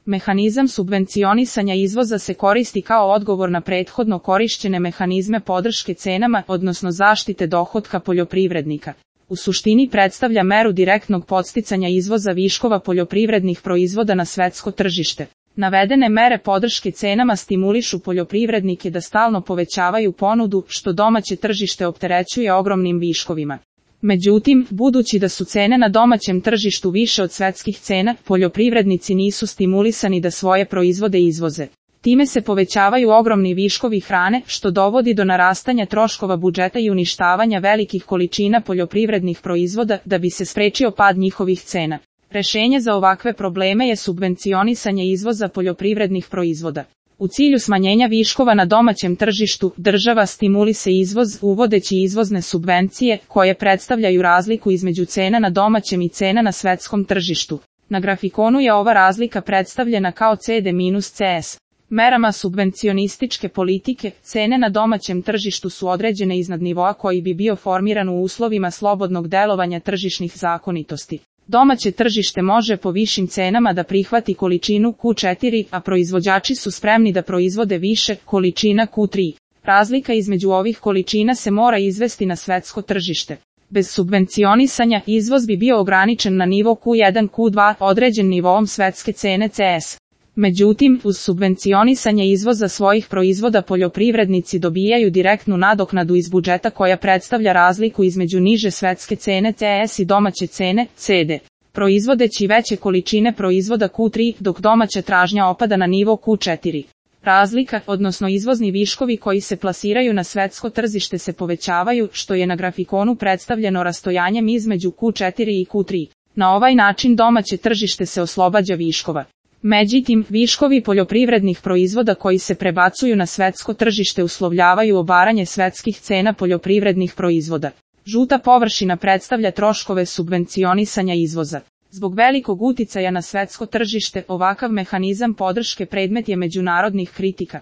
Mehanizam subvencionisanja izvoza se koristi kao odgovor na prethodno korišćene mehanizme podrške cenama, odnosno zaštite dohotka poljoprivrednika. U suštini predstavlja meru direktnog podsticanja izvoza viškova poljoprivrednih proizvoda na svetsko tržište. Navedene mere podrške cenama stimulišu poljoprivrednike da stalno povećavaju ponudu, što domaće tržište opterećuje ogromnim viškovima. Međutim, budući da su cene na domaćem tržištu više od svetskih cena, poljoprivrednici nisu stimulisani da svoje proizvode izvoze. Time se povećavaju ogromni viškovi hrane, što dovodi do narastanja troškova budžeta i uništavanja velikih količina poljoprivrednih proizvoda da bi se sprečio pad njihovih cena. Rešenje za ovakve probleme je subvencionisanje izvoza poljoprivrednih proizvoda. U cilju smanjenja viškova na domaćem tržištu, država stimuliše izvoz uvodeći izvozne subvencije, koje predstavljaju razliku između cena na domaćem i cena na svetskom tržištu. Na grafikonu je ova razlika predstavljena kao CD-CS. Merama subvencionističke politike, cene na domaćem tržištu su određene iznad nivoa koji bi bio formiran u uslovima slobodnog delovanja tržišnih zakonitosti. Domaće tržište može po višim cenama da prihvati količinu Q4, a proizvođači su spremni da proizvode više količina Q3. Razlika između ovih količina se mora izvesti na svetsko tržište. Bez subvencionisanja, izvoz bi bio ograničen na nivo Q1, Q2, određen nivoom svetske cene CS. Međutim, uz subvencionisanje izvoza svojih proizvoda poljoprivrednici dobijaju direktnu nadoknadu iz budžeta koja predstavlja razliku između niže svetske cene CS i domaće cene CD. Proizvodeći veće količine proizvoda Q3, dok domaća tražnja opada na nivo Q4. Razlika, odnosno izvozni viškovi koji se plasiraju na svetsko tržište se povećavaju, što je na grafikonu predstavljeno rastojanjem između Q4 i Q3. Na ovaj način domaće tržište se oslobađa viškova. Međutim, viškovi poljoprivrednih proizvoda koji se prebacuju na svetsko tržište uslovljavaju obaranje svetskih cena poljoprivrednih proizvoda. Žuta površina predstavlja troškove subvencionisanja izvoza. Zbog velikog uticaja na svetsko tržište, ovakav mehanizam podrške predmet je međunarodnih kritika.